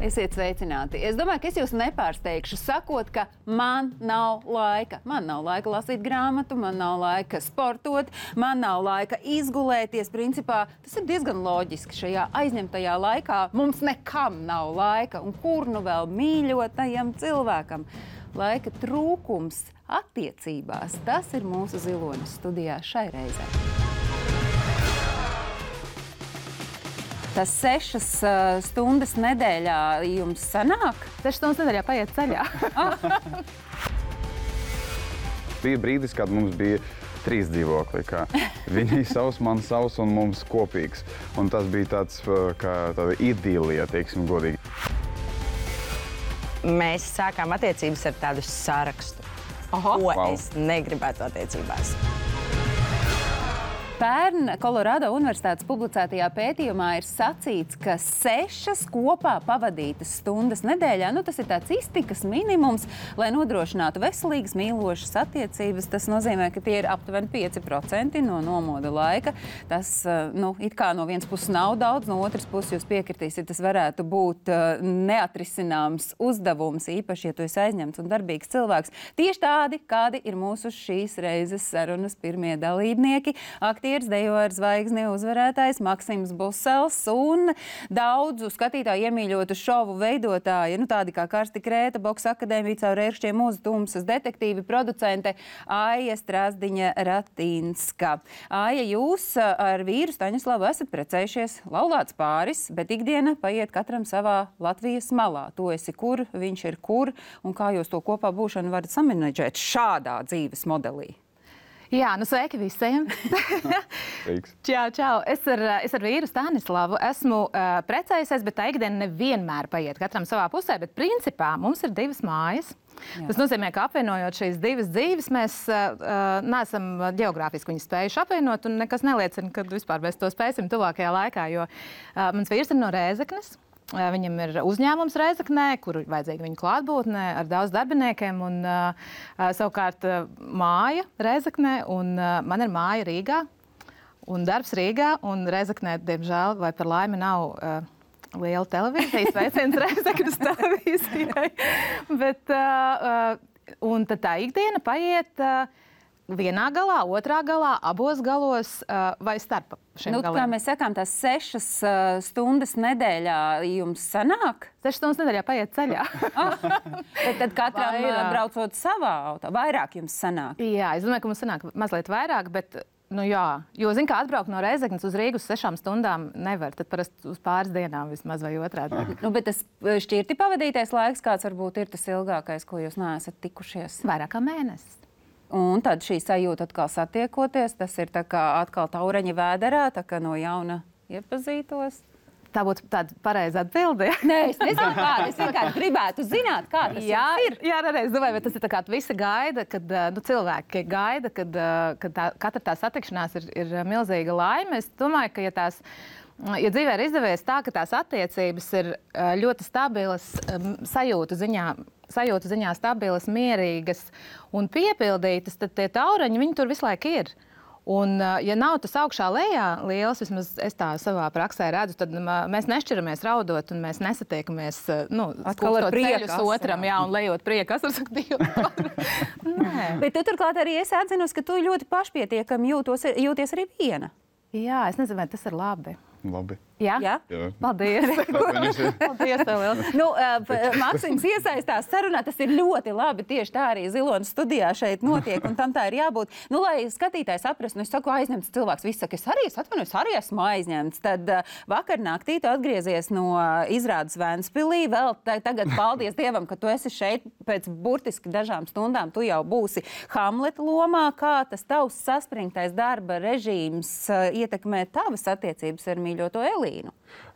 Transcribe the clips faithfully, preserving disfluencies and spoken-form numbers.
Esiet sveicināti. Es domāju, ka es jūs nepārsteigšu, sakot, ka man nav laika. Man nav laika lasīt grāmatu, man nav laika sportot, man nav laika izgulēties. Principā tas ir diezgan loģiski. Šajā aizņemtajā laikā mums nekam nav laika. Un kur nu vēl mīļotajam cilvēkam? Laika trūkums attiecībās. Tas ir mūsu Ziloņas studijā šai reizē. Tas sešas uh, stundas nedēļā jums sanāk? Sešas stundas nedēļā paiet ceļā. Bija brīdis, kad mums bija trīs dzīvokļi. Viņi savs, man savs un mums kopīgs. Un tas bija tāds, kā tāda idīlija, teiksim godīgi. Mēs sākām attiecības ar tādu sarakstu. Oho. Ko wow. Es negribētu attiecībās. Pērn Kolorādo Universitātes publicētajā pētījumā ir sacīts, ka sešas kopā pavadītas stundas nedēļā, nu tas ir tāds iztikas minimums, lai nodrošinātu veselīgas, mīlošas attiecības. Tas nozīmē, ka tie ir aptuveni pieci procenti no nomoda laika. Tas, nu, it kā no vienas puses nav daudz, no otras puses jūs piekritīsiet, tas varētu būt neatrisināms uzdevums, īpaši, ja tu esi aizņemts un darbīgs cilvēks. Tieši tādi, kādi ir mūsu šīs reizes sarunas pirmie dalībnieki. Aktīvi dejo ar zvaigzni uzvarētājs Maksims Busels un daudzu skatītāju iemīļotu šovu veidotāji, nu tādi kā Karsti Krēta, Boksa akadēmija caur ērkšķiem Mūzu Tumsas, detektīvi producente Aija Strasdiņa Ratīnska. Aija, jūs ar vīru Staņislavu esat precējušies, laulāts pāris, bet ikdiena paiet katram savā Latvijas malā. Tu esi kur, viņš ir kur, un kā jūs to kopā būšanu varat samanedžēt šādā dzīves modelī? Jā, nu sveiki visiem. Čau, čau. Es ar, es ar vīru Stanislavu esmu uh, precējusies, bet tā ikdiena nevienmēr paiet katram savā pusē, bet principā mums ir divas mājas. Jā. Tas nozīmē, ka apvienojot šīs divas dzīves, mēs uh, neesam ģeogrāfiski viņas spējuši apvienot, un nekas neliecina, ka vispār mēs to spēsim tuvākajā laikā, jo uh, mans vīrs ir no Rēzeknes. Viņam ir uzņēmums Rēzeknē, kur ir vajadzīga viņa klātbūtne ar daudz darbiniekiem, un uh, savukārt uh, māja Rēzeknē, un uh, man ir māja Rīgā, un darbs Rīgā, un Rēzeknē, diemžēl, vai par laimi nav uh, liela televīzijas, sveiciens Rēzeknes televīzijai, bet, uh, uh, un tad tā ikdiena paiet uh, vienā galā, otrā galā, abos galos uh, vai starp šiem nu, galiem. Kā mēs sakām, tās sešas uh, stundas nedēļā jums sanāk? Sešas stundas nedēļā paiet ceļā. Bet tad katram vairāk. Braucot savā auto, vairāk jums sanāk? Jā, es domāju, ka mums sanāk mazliet vairāk, bet, nu jā, jo, zin kā, atbraukt no Rēzeknes uz Rīgu uz sešām stundām nevar, tad parasti uz pāris dienām vismaz vai otrādi. Nu, bet tas šķirti pavadītais laiks, kāds varbūt ir tas ilgākais, ko jūs neesat tikušies? Vairāk kā mēnesis. Un tad šī sajūta atkal satiekoties, tas ir tā kā atkal taureņa vēderā, tā kā no jauna iepazītos. Tā būtu tāda pareiza atbilde. Nē, es nezinu, kāda. Es vienkārši gribētu zināt, kā tas jā, ir. Jā, reiz domāju, bet tas ir tā kā visi gaida, kad nu, cilvēki gaida, kad, kad tā, katra tā satikšanās ir, ir milzīga laime. Es domāju, ka ja tās, ja dzīvē ir izdevies tā, ka tās attiecības ir ļoti stabilas sajūtu ziņā, sajūtu ziņā stabilas, mierīgas un piepildītas, tad tie taureņi, viņi tur visu laiku ir. Un, ja nav tas augšā lejā liels, vismaz es tā savā praksē redzu, tad mēs nešķiramies raudot un mēs nesatiekamies, nu, atkal ar prieku otram, jā, un lejot prieku asaras ar Dievu. Nē. Bet tu turklāt arī esi atzinusi, ka tu ļoti pašpietiekami jūtos, jūties arī viena. Jā, es nezinu, vai tas ir labi. Labi. Jā? Jā? Jā. Paldies. Paldies tev liels. Nu, uh, Maksims iesaistās sarunā, tas ir ļoti labi. Tieši tā arī Ziloņas studijā šeit notiek, un tam tā ir jābūt. Nu, lai skatītājs saprast, nu, es saku, aizņemts cilvēks. Viss saka, es arī es atvainojos, arī esmu aizņemts. Tad uh, vakar naktī tu atgriezies no uh, izrādes Vēnspilī. Vēl ta tagad paldies Dievam, ka tu esi šeit pēc burtiski dažām stundām. Tu jau būsi Hamleta lomā. Kā tas tavs saspringtais darba režīms uh, ietekmē tavas attiecības ar mīļoto Elīnu?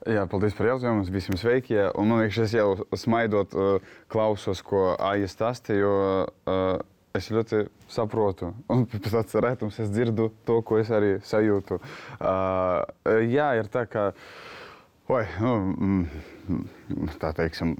Jā, paldies par jautājumu. Visiem sveiki. Jā. Un man liekas, es jau smaidot uh, klausos, ko Aija stāstīja, jo uh, es ļoti saprotu. Un pēc tāds rētums es dzirdu to, ko es arī sajūtu. Uh, jā, ir tā, ka Oi, nu, tā teiksim,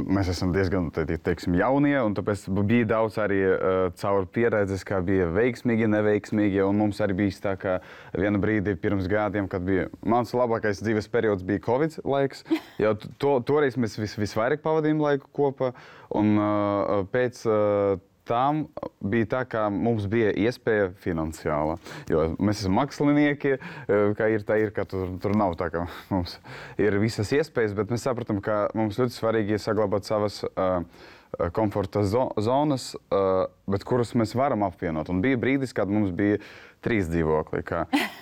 mēs esam diezgan teiksim, jaunie, un tāpēc bija daudz arī uh, caur pieredzes, kā bija veiksmīgi, neveiksmīgi, un mums arī bija tā, ka viena brīdi pirms gadiem, kad bija mans labākais dzīves periods bija Covid laiks, jo to, toreiz mēs vis, visvairāk pavadījām laiku kopā, un uh, pēc uh, tam bija tā, ka mums bija iespēja finansiāla, jo mēs esam mākslinieki, kā ir tā ir, ka tur, tur nav tā, ka mums ir visas iespējas, bet mēs sapratam, ka mums ļoti svarīgi saglabāt savas uh, komforta zonas, uh, bet kuras mēs varam apvienot. Un bija brīdis, kad mums bija trīs dzīvokļi, ka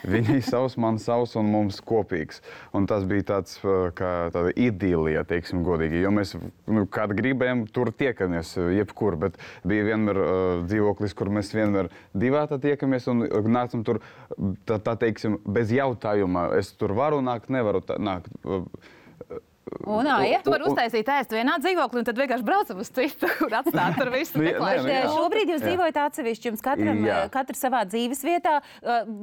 viņi savs, man savs un mums kopīgs. Un tas bija tāds, kā tāda idīlija, teiksim godīgi, jo mēs, nu, kad gribējām, tur tiekamies jebkur, bet bija vienmēr uh, dzīvoklis, kur mēs vienmēr divētā tiekamies un nācam tur, tā, tā teiksim, bez jautājuma. Es tur varu nākt, nevaru tā, nākt. Un, ja tu vari uztaisīt ēst vienā dzīvoklī, un tad vienkārši braucam uz citu, kur atstāt tur visu meklēšanu. Šobrīd jūs dzīvojat atsevišķi, jums katram, katrs savā dzīves vietā.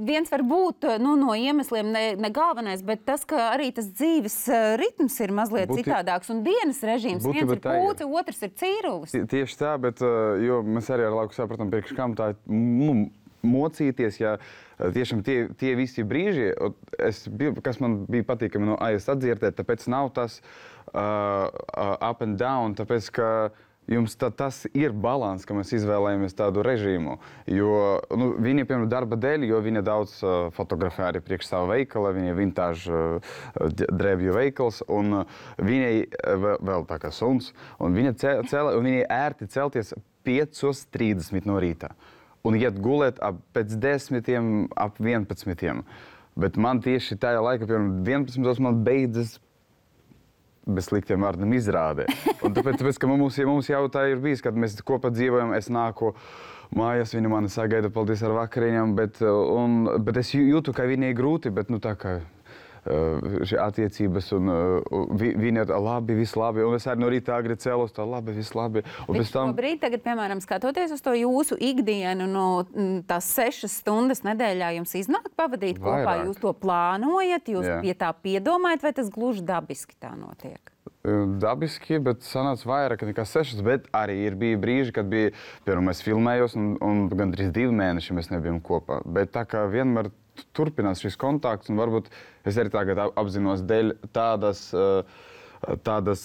Viens var būt nu, no iemesliem ne, ne galvenais, bet tas, ka arī tas dzīves ritms ir mazliet Būti... citādāks, un dienas režīms. Būti, viens ir pūce, otrs ir cīrulis. Tieši tā, bet jo mēs arī ar laiku sapratam, priekš kam tā nu, mocīties, ja tiešām tie, tie visi brīži, es, kas man bija patīkami no A I S atdzirdēt, tāpēc nav tas uh, up and down, tāpēc, ka jums tā, tas ir balans, ka mēs izvēlējamies tādu režīmu, jo nu, viņa, piemēram, darba dēļ, jo viņa daudz uh, fotografē arī priekš savu veikalu, viņa vintage uh, drēbju veikals, un uh, viņai uh, vēl tā kā suns, un viņa cēla, un viņai ērti celties piecos trīsdesmit no rīta. Un iet gulēt ap pēc desmitiem, ap vienpadsmitiem. Bet man tieši tajā laikā, piemēram, vienpadsmitos man beidzas bez sliktiem vārdiem izrādē. Un tāpēc, tāpēc ka mums, mums jau tā ir bijis, kad mēs kopā dzīvojam, es nāku mājās, viņa mani sagaida, paldies ar vakariņām, bet, un, bet es jūtu, ka viņai grūti, bet nu tā kā šī attiecības, un uh, vi, viņa labi, viss labi, un es arī no rīta agri cēlos, tā labi, viss labi. Un bet tam... šobrīd, tagad, piemēram, skatoties uz to jūsu ikdienu, no tās sešas stundas nedēļā jums iznāk pavadīt Vairāk. Kopā, jūs to plānojat, jūs Jā. Pie tā piedomājat, vai tas gluži dabiski tā notiek? Dabiski, bet sanāca vairāk nekā sešas, bet arī ir bija brīži, kad bija, piemēram, es filmējos, un, un gandrīz divi mēneši mēs nebijām kopā. Bet tā kā vienmēr turpinās šis kontakts, un varbūt es arī tagad apzinos dēļ tādas, tādas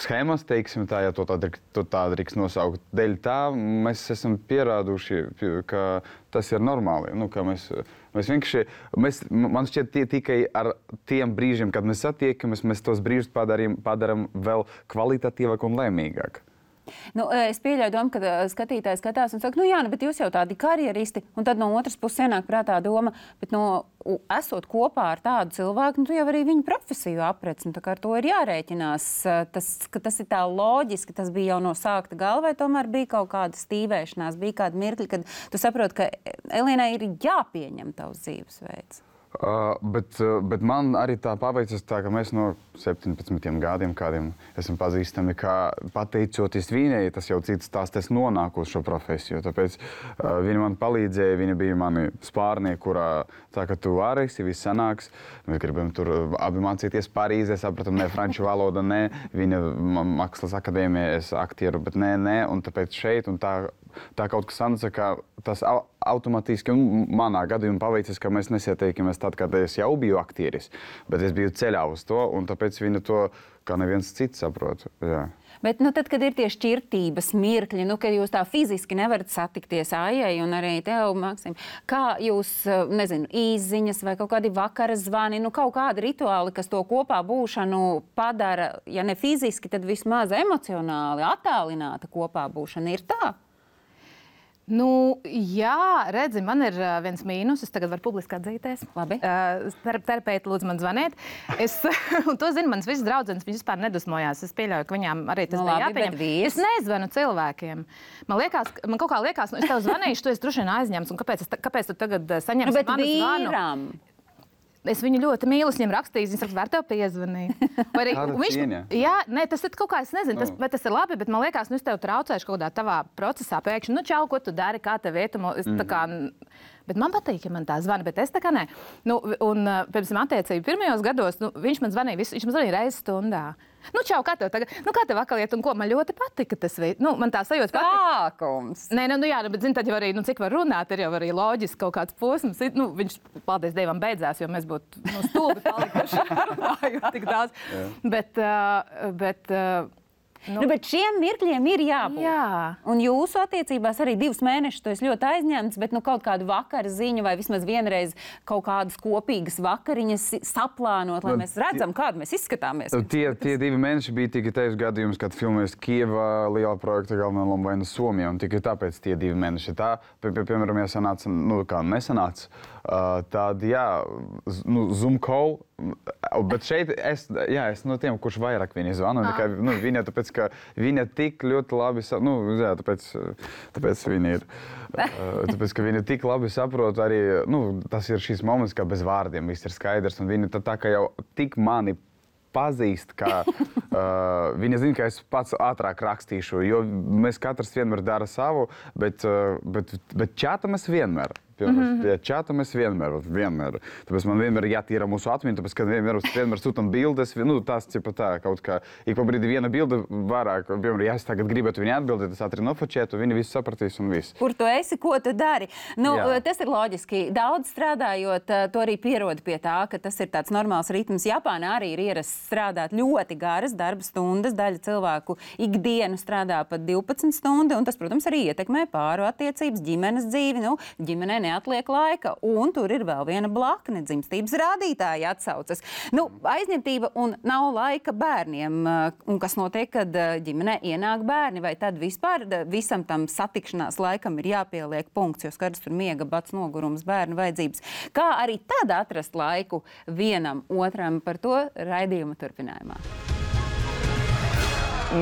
schēmas, teiksim tā, ja to tā, to tā drīkst nosaukt. Dēļ tā mēs esam pierāduši, ka tas ir normāli. Nu, ka mēs, mēs vienkārši, mēs, man šķiet tie, tikai ar tiem brīžiem, kad mēs satiekamies, mēs tos brīžus padarām, padarām vēl kvalitatīvāk un lēmīgāk. Nu, es pieļauju domu, ka skatītājs skatās un saka, nu jā, bet jūs jau tādi karjeristi, un tad no otras puses ienāk prātā doma, bet no, esot kopā ar tādu cilvēku, nu tu jau arī viņu profesiju aprec, un tā kā ar to ir jārēķinās. Tas, ka tas ir tā loģiski, tas bija jau no sākta galva, vai tomēr bija kaut kāda stīvēšanās, bija kāda mirkļa, kad tu saproti, ka Elīnai ir jāpieņem tavs dzīvesveids. Uh, bet, uh, bet man arī tā paveicas tā, ka mēs no septiņpadsmitiem gadiem kādiem esam pazīstami, kā pateicoties viņai, tas jau cits stāsts, es nonāku uz šo profesiju. Tāpēc uh, viņa man palīdzēja, viņa bija mani spārnieki, kurā tā, ka tu varēsi, viss sanāks. Mēs gribam tur abi mācīties Parīzē, sapratam, ne franču valoda, ne. Viņa mākslas akadēmija, es aktieru, bet nē, nē, un tāpēc šeit, un tā, tā kaut kas sanāca, ka tas automātiski, un manā gadījumā paveicis, ka mēs nesieteikamies tad, kad es jau biju aktieris, bet es biju ceļā uz to, un tāpēc viņa to, kā neviens cits saprot. Jā. Bet, nu, tad, kad ir tie šķirtības mirkļi, nu, kad jūs tā fiziski nevarat satikties Aijai un arī tev, Maksim, kā jūs, nezinu, īsziņas vai kaut kādi vakara zvani, nu, kaut kādi rituāli, kas to kopā būšanu padara, ja ne fiziski, tad vismaz emocionāli attālināta kopā būšana, ir tā? Nu, jā, redzi, man ir uh, viens mīnus. Es tagad varu publiski atzīties. Labi. Uh, terapeiti lūdzu man zvaniet. Es, un to zinu, manas visas draudzenes, viņas vispār nedusmojās. Es pieļauju, ka viņām arī tas nu, bija labi, jāpieņem. Es nezvanu cilvēkiem. Man liekas, man kaut kā liekas, nu, es tev zvanīšu, tu esi droši vien aizņemts. Un kāpēc, es, kāpēc tu tagad saņemsi nu, manu vīram. zvanu? Es viņu ļoti mīlu, es viņam rakstīju, viņš saka, var tev piezvanīt. Arī, viņš, jā, nē, tas ir kaut kā, es nezinu, tas, vai tas ir labi, bet man liekas, nu es tev traucēšu kaut kādā tavā procesā pēkšņi, nu čau, ko tu dari, kā tev ietumo, es tā kā, bet man patīk, ja man tā zvana, bet es tā kā nē. Nu, un, piemēram, attiecību pirmajos gados, nu, viņš man zvanīja, visu, viņš man zvanīja reizi stundā. Nu, čau, kā tev tagad, nu, kā tev vakar iet, un ko man ļoti patika tas, nu, man tā sajūta patika. Sākums. Nē, nu, jā, bet, zini, tad jau arī, nu, cik var runāt, ir jau arī loģiski kaut kāds posms. Nu, viņš, paldies Dievam, beidzās, jo mēs būtu, nu, stulbi palikuši runājot tik daudz. Bet, uh, bet, uh, Nu, nu, bet šiem mirkļiem ir jābūt. Jā. Un jūsu attiecībās arī divus mēnešus tu esi ļoti aizņemts, bet nu, kaut kādu vakara ziņu vai vismaz vienreiz kaut kādas kopīgas vakariņas saplānot, lai mēs redzam, kādu mēs izskatāmies. Tie, tie divi mēneši bija tikai tajos gadījumos, kad filmējas Kieva liela projekta galvenā loma vai no Somijā, un tikai tāpēc tie divi mēneši. Tā, pie, pie, piemēram, ja sanāca, nu, kā nesanāca, uh, tad, jā, nu, Zoom call, bet šeit es, jā, es no tiem, kurš vairāk viņa zvanu, ah. nekā, nu, viņa, tāpēc, ka viņa tik ļoti labi, nu, jā, tāpēc, tāpēc viņa ir, tāpēc, ka viņa tik labi saprot arī, nu, tas ir šīs moments, kā bez vārdiem viss ir skaidrs, un viņa tā, tā kā jau tik mani pazīst, ka uh, viņa zina, ka es pats ātrāk rakstīšu, jo mēs katrs vienmēr dara savu, bet, uh, bet, bet čāta mēs vienmēr. Mm-hmm. Pie čata mēs vienmēr, vienmēr. Tāpēc man vienmēr jātīra mūsu atmiņa, tāpēc, ka vienmēr, vienmēr sūtam bildes, nu, tas, cipa tā, kaut kā, ik pa brīdi viena bilde vairāk, piemēram, ja es tagad gribētu viņu atbildēt, es ātri nofočētu, viņi visu sapratīs un viss. Kur tu esi, ko tu dari? Nu, jā. Tas ir loģiski. Daudz strādājot, tu arī pierodi pie tā, ka tas ir tāds normāls ritms. Japānā arī ir ierasts strādāt ļoti garas darba stundas, daļa cilvēku ikdienu strādā pat divpadsmit stundu, un tas, protams, arī ietekmē pāru attiecības, ģimenes dzīvi, nu, ģimenē neatliek laika, un tur ir vēl viena blakne, dzimstības rādītāja atsaucas. Nu, aizņemtība un nav laika bērniem. Un kas notiek, kad ģimenē ienāk bērni, vai tad vispār visam tam satikšanās laikam ir jāpieliek punkts, jo skaidrs tur miega, bats, nogurums, bērnu vajadzības. Kā arī tad atrast laiku vienam otram, par to raidījuma turpinājumā.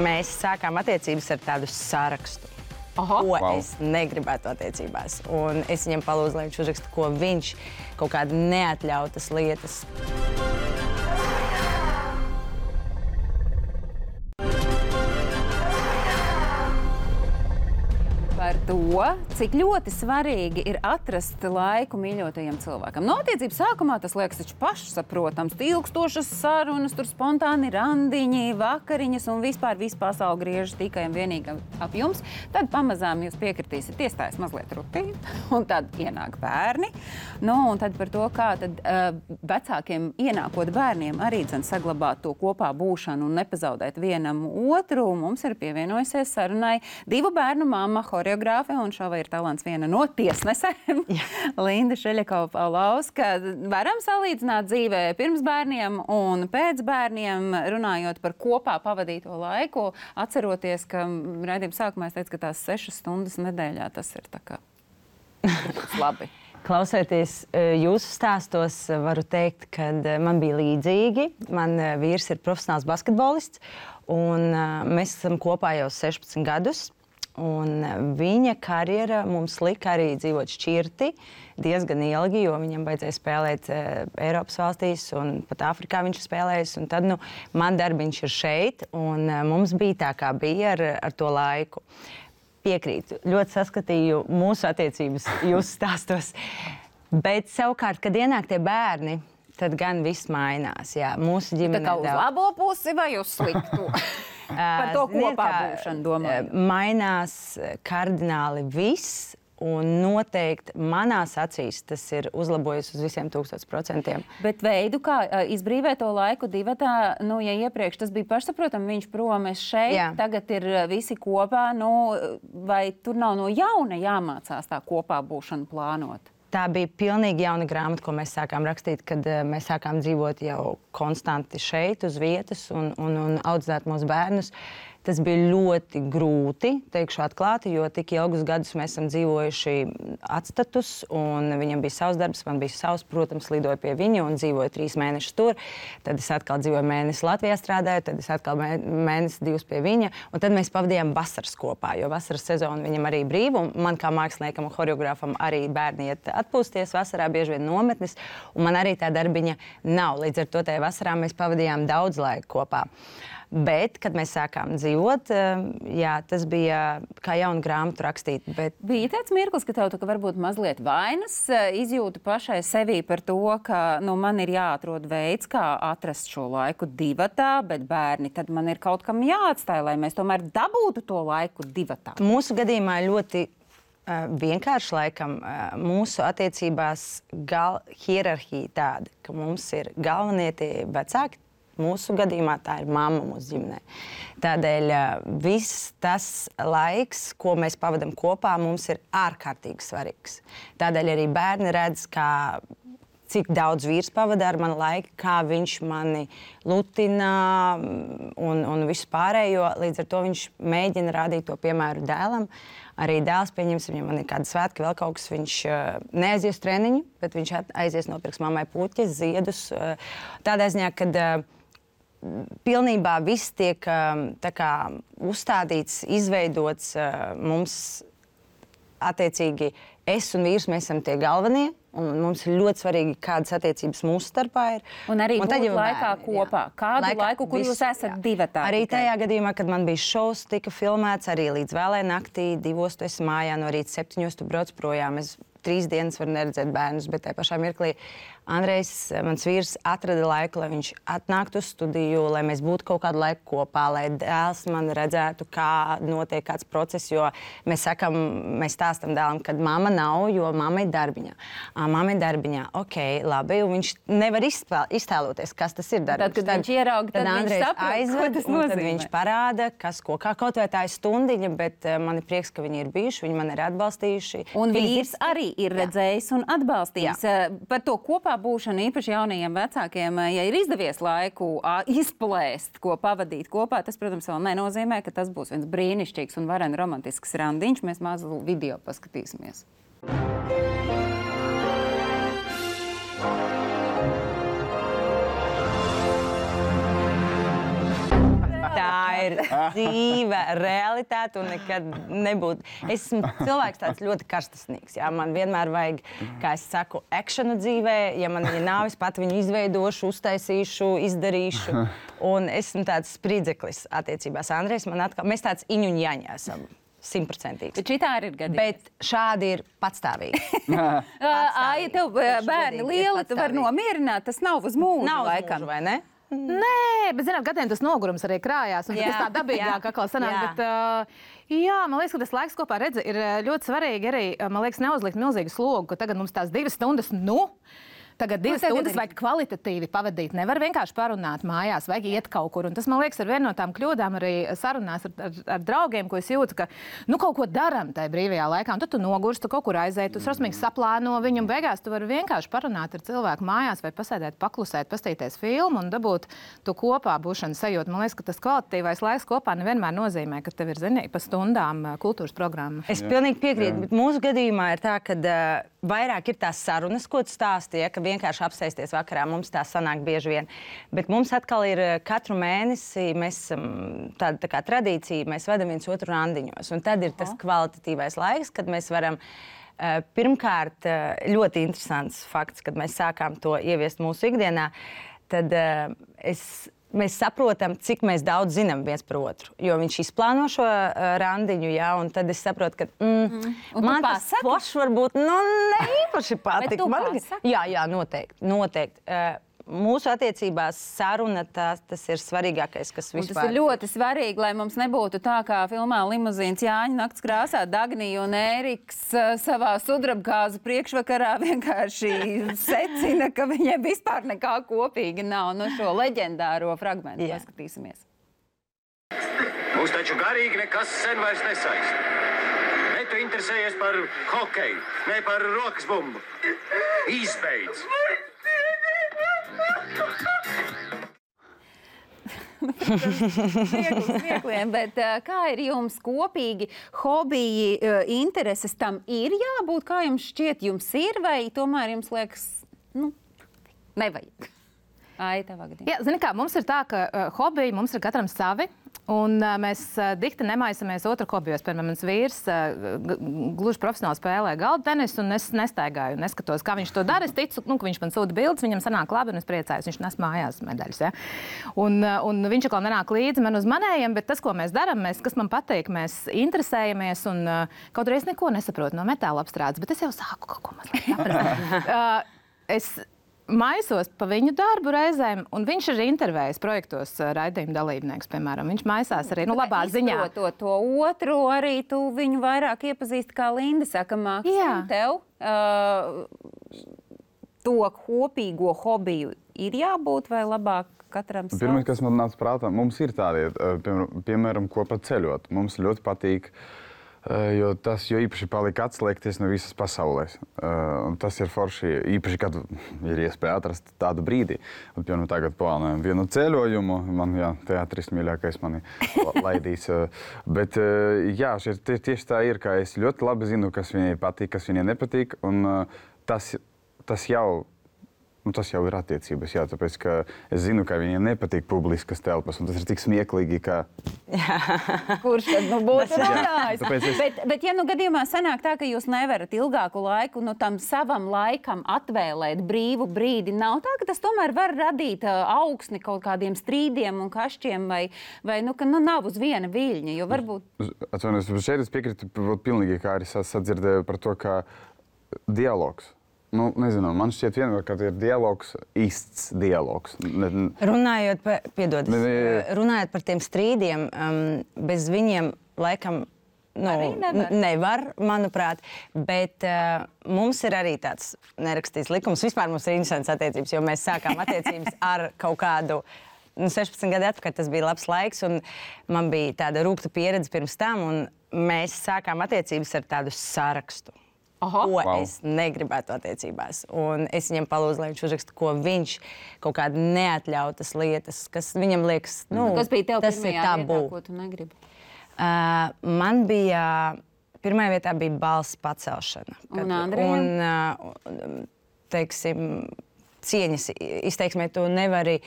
Mēs sākām attiecības ar tādu sarakstu. Aha. Ko wow. es negribētu attiecībās. Un es viņam palūdzu, lai viņš uzraksta, ko viņš kaut kāda neatļautas lietas. Par to, cik ļoti svarīgi ir atrast laiku mīļotajiem cilvēkam. No attiecības sākumā tas liekas taču pašsaprotams. Ilgstošas sarunas, tur spontāni randiņi, vakariņas un vispār visu pasauli griežas tikai un vienīgi ap jums. Tad pamazām jūs piekritīsiet, iestājas mazliet rutīna, un tad ienāk bērni. Nu, un tad par to, kā tad uh, vecākiem ienākot bērniem arī dzen saglabāt to kopā būšanu un nepazaudēt vienam otru. Mums ir pievienojusies sarunai divu bērnu mamma, choreogrāfe, un šovai ir talants viena no tiesnesēm. Linda Šeļakova-Paulauska. Varam salīdzināt dzīvē pirms bērniem un pēc bērniem, runājot par kopā pavadīto laiku, atceroties, ka raidījuma sākumā es teicu, ka tās sešas stundas nedēļā tas ir tā kā labi. Klausoties jūsu stāstos, varu teikt, ka man bija līdzīgi. Man vīrs ir profesionāls basketbolists, un mēs esam kopā jau sešpadsmit gadus. Un viņa karjera mums lika arī dzīvot šķirti diezgan ilgi, jo viņam vajadzēja spēlēt e, Eiropas valstīs un pat Āfrikā viņš ir spēlējis. Un tad, nu, man darbiņš ir šeit, un e, mums bija tā, kā bija ar, ar to laiku. Piekrītu, ļoti saskatīju mūsu attiecības jūsu stāstos. Bet savukārt, kad ienāk tie bērni, tad gan viss mainās. Jā, mūsu ģimene... Tā kā uz labo pusi vai uz sliktu? Par to kopā būšanu domāju. Mainās kardināli viss, un noteikti manās acīs tas ir uzlabojis uz visiem tūkstotis procentiem. Bet veidu, kā izbrīvēt to laiku divatā, nu, ja iepriekš tas bija pašsaprotam, viņš prom, es šeit, jā. Tagad ir visi kopā, nu, vai tur nav no jauna jāmācās tā kopā būšanu plānot? Tā bija pilnīgi jauna grāmata, ko mēs sākām rakstīt, kad uh, mēs sākām dzīvot jau konstanti šeit, uz vietas un, un, un audzēt mūsu bērnus. Tas bija ļoti grūti, teikšu atklāti, jo tik ilgus gadus mēs esam dzīvojuši atstatus, un viņam bija savs darbs, man bija savs, protams, lidoju pie viņa un dzīvoju trīs mēnešus tur. Tad es atkal dzīvoju mēnesi Latvijā strādāju, tad es atkal mēnesi divus pie viņa, un tad mēs pavadījām vasaras kopā, jo vasaras sezona viņam arī brīva, un man kā māksliniekam un choreogrāfam arī bērni iet atpūsties vasarā, bieži vien nometnes, un man arī tā darbiņa nav. Līdz ar to tajā vasarā mēs pavadījām daudz laika kopā. Bet, kad mēs sākām dzīvot, jā, tas bija kā jauna grāmatu rakstīt. Bet... Bija tāds mirklis, ka tev tā, ka varbūt mazliet vainas izjūta pašai sevī par to, ka nu, man ir jāatrod veids, kā atrast šo laiku divatā, bet bērni, tad man ir kaut kam jāatstāj, lai mēs tomēr dabūtu to laiku divatā. Mūsu gadījumā ļoti uh, vienkārši laikam uh, mūsu attiecībās gal hierarhija tāda, ka mums ir galvenie tie vecāki. Mūsu gadījumā tā ir mamma mūsu ģimenē. Tādēļ viss tas laiks, ko mēs pavadam kopā, mums ir ārkārtīgi svarīgs. Tādēļ arī bērni redz, kā, cik daudz vīrs pavada ar mani laiku, kā viņš mani lutina un, un visu pārējo. Līdz ar to viņš mēģina rādīt to piemēru dēlam. Arī dēls, pieņemsim, ja man ir kāda svētki, vēl kaut kas, viņš neaizies treniņu, bet viņš aizies nopirks mammai puķes, ziedus. Tādā ziņā, kad pilnībā viss tiek tā kā uzstādīts, izveidots mums attiecīgi es un vīrs, mēs esam tie galvenie, un mums ir ļoti svarīgi, kādas attiecības mūsu starpā ir. Un arī un būt laikā bērni, kopā. Jā. Kādu laikā, laiku, kur viss, jūs esat divatā? Arī tajā gadījumā, kad man bija šovs, tika filmēts arī līdz vēlai naktī, divos tu esi mājā, no rīta septiņos tu brauc projām. Es trīs dienas varu neredzēt bērnus, bet tajā pašā mirklī Andrejs, mans vīrs, atrada laiku, lai viņš atnāktu uz studiju, lai mēs būtu kaut kādu laiku kopā, lai dēls man redzētu, kā notiek kāds process, jo mēs sakam, mēs stāstam dēlam, kad mamma nav, jo mamma ir darbiņā. À, mamma ir darbiņā, ok, labi, un viņš nevar izspēl, iztēloties, kas tas ir darbiņš. Tad, kad tad, viņš ierauga, tad, tad viņš saprot, aizved, ko tas nozīmē. Tad viņš parāda, kas ko, kā kaut vai tā ir stundiņa, bet uh, man ir prieks, ka viņi ir bijuši, viņi man ir atbalstījuši. Un vīrs arī ir redzējis un atbalstījis. Jā. Par to kopā būšanu īpaši jaunajiem vecākiem, ja ir izdevies laiku izplēst, ko pavadīt kopā, tas, protams, vēl nenozīmē, ka tas būs viens brīnišķīgs un varen romantisks randiņš. Mēs mazu video paskatīsimies. Tā ir dzīve, realitāte un nekad nebūtu. Es esmu cilvēks tāds ļoti karstasnīgs. Jā. Man vienmēr vajag, kā es saku, akšanu dzīvē. Ja man viņa nav, es pat viņu izveidošu, uztaisīšu, izdarīšu. Un esmu tāds spridzeklis attiecībās. Andrejs man atkal, mēs tāds iņu un jaņā esam. Simtprocentīgi. Bet šitā arī ir gadījums. Bet šādi ir patstāvīgi. Ai, tev bērni lieli, tu vari nomierināt, tas nav uz mūžu nav laikam. Nav uz mūžu, vai ne? Nē, bet, zināt, gadiem tas nogurums arī krājās, un tas tā dabīgāk atkal sanāk, jā. bet, uh, jā, man liekas, ka tas laiks kopā redzi ir ļoti svarīgi arī, man liekas, neuzlikt milzīgu slogu, ka tagad mums tās divas stundas, nu, tagad divas tagad stundas ir... vajag kvalitatīvi pavadīt. Nevar vienkārši parunāt mājās, vajag iet kaut kur. Un tas, man liekas, ir viena no tām kļūdām arī sarunās ar, ar, ar draugiem, ko es jūtu, ka nu kaut ko daram tajā brīvajā laikā. Un tad tu nogursti, tu kaut kur aiziet, tu srosmīgi saplāno viņu. Un beigās tu vari vienkārši parunāt ar cilvēku mājās vai pasēdēt, paklusēt, pastīties filmu un dabūt tu kopā būšanu sajūtu. Man liekas, ka tas kvalitatīvais laiks kopā nevienmēr nozīmē, ka tev ir zinīgi pa stundām kultūras programma. Es pilnīgi piekrītu, bet mūsu gadījumā ir tā, ka uh, vairāk ir tās sarunas, ko tu stāstīji, ka vienkārši apsēsties vakarā. Mums tā sanāk bieži vien. Bet mums atkal ir katru mēnesi, mēs esam tāda tā kā tradīcija, mēs vedam viens otru randiņos. Un tad ir tas kvalitatīvais laiks, kad mēs varam uh, pirmkārt uh, ļoti interesants fakts, kad mēs sākām to ieviest mūsu ikdienā, tad uh, es mēs saprotam, cik mēs daudz zinām viens par otru. Jo viņš izplāno šo uh, randiņu, jā, un tad es saprotu, ka mm, mm. man tas foršs varbūt nu, ne īpaši patīk. Man... Jā, jā, noteikti. noteikti. Uh, Mūsu attiecībās saruna tās, tas ir svarīgākais, kas vispār. Un tas ir ļoti svarīgi, lai mums nebūtu tā, kā filmā Limuzīns Jāņa nakts krāsā Dagnija un Ēriks savā sudrabgāzu priekšvakarā vienkārši secina, ka viņiem vispār nekā kopīga nav. No šo leģendāro fragmentu Jā. Paskatīsimies. Mūs taču garīgi nekas sen vairs nesaist. Ne tu interesējies par hokeju, ne par rokas bumbu. Izbeidz! smiekliem, bet kā ir jums kopīgi hobiji, intereses tam ir jābūt? Kā jums šķiet, jums ir vai tomēr jums liekas, nu, nevajag? Ai, tavā gadījumā. Jā, zini kā, mums ir tā, ka uh, hobiji mums ir katram savi, un uh, mēs uh, dikti nemaisamies otru hobijos. Piemēram, mans vīrs uh, gluži profesionāli spēlē galda tenisu, un es nestaigāju, neskatos, kā viņš to dara. Es ticu, nu, ka viņš man sūta bildes, viņam sanāk labi, un es priecājos, viņš nes mājās medaļas. Ja? Un, uh, un viņš atkal nenāk līdzi man uz manējiem, bet tas, ko mēs darām, mēs, kas man patīk, mēs interesējamies, un uh, kaut arī es neko nesaprotu no metāla apstrādes, bet es jau sāku kaut ko mazliet saprast. uh, es maisos pa viņu darbu reizēm, un viņš ir intervējis projektos raidījuma dalībnieks, piemēram. Viņš maisās arī, nu, labā ziņā. Izprotot to otru, arī tu viņu vairāk iepazīsti, kā Linda saka, Maksim, tev uh, to kopīgo hobiju ir jābūt vai labāk katram savs? Pirmais, kas man nāca prātā, mums ir tādi, piemēram, kopā ceļot. Mums ļoti patīk, jo tas jo īpaši palika atslēgties no visas pasaulēs. Un tas ir forši, īpaši, kad ir iespēja atrast tādu brīdi. Un, piemēram, tagad plānojam vienu ceļojumu, man, jā, teātris mīļākais mani laidīs. Bet, jā, šeit tieši tā ir, ka es ļoti labi zinu, kas viņai patīk, kas viņai nepatīk, un tas, tas jau Nu, tas jau ir attiecības, jā, tāpēc, ka es zinu, ka viņiem nepatīk publiskas telpas, un tas ir tik smieklīgi, ka... Kurš tad nu būtu runājis? Es... Bet, bet, ja nu gadījumā sanāk tā, ka jūs nevarat ilgāku laiku nu, tam savam laikam atvēlēt brīvu brīdi, nav tā, ka tas tomēr var radīt uh, augsni kaut kādiem strīdiem un kašķiem, vai, vai nu, ka nu, nav uz viena viļņa, jo varbūt... Atvainojos, šeit es piekrītu pilnīgi, kā arī sadzirdēju par to, ka dialogs. Nu, nezinu, man šķiet vienmēr, ka ir dialogs, īsts dialogs. Ne, runājot par, piedod, ne, ne, runājot par tiem strīdiem, um, bez viņiem laikam nu, nevar. nevar, manuprāt, bet uh, mums ir arī tāds nerakstīts likums. Vispār mums ir interesants attiecības, jo mēs sākām attiecības ar kaut kādu nu, sešpadsmit gadu atpakaļ. Tas bija labs laiks, un man bija tāda rūgta pieredze pirms tam, un mēs sākām attiecības ar tādu sarakstu. Aha. Ko wow. es negribētu attiecībās. Un es viņam palūdzu, lai viņš uzraksta, ko viņš kaut kāda neatļautas lietas, kas viņam liekas, nu, kas bija tev tas ir tabū. Ko tu negribi? Uh, man bija, pirmajā vietā bija balss pacelšana. Un kad, Andrejam? Un, uh, teiksim, cieņas izteiksmē tu nevari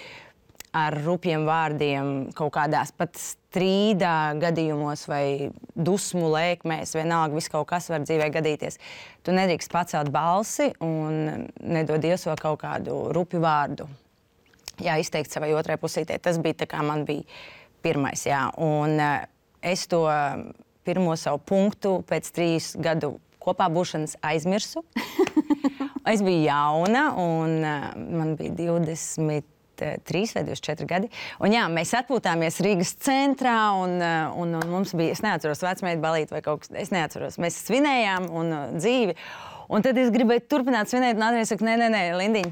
ar rupjiem vārdiem kaut kādās pat strīdā gadījumos vai dusmu lēkmēs, vienalga, viss kaut kas var dzīvē gadīties. Tu nedrīkst pacelt balsi un nedod Dievs vēl kaut kādu rupju vārdu. Jā, izteikt savai otrai pusītē. Tas bija tā kā man bija pirmais, jā. Un uh, es to pirmo savu punktu pēc trīs gadu kopā būšanas aizmirsu. Es biju jauna un uh, man bija divdesmit trīs vai divdesmit četri gadi. Un jā, mēs atpūtāmies Rīgas centrā un, un, un mums bija, es neatceros, vecmeitu balīti vai kaut kas, es neatceros. Mēs svinējām un uh, dzīvi. Un tad es gribēju turpināt svinēt un Andrejs saka, nē, nē, nē, Lindiņ,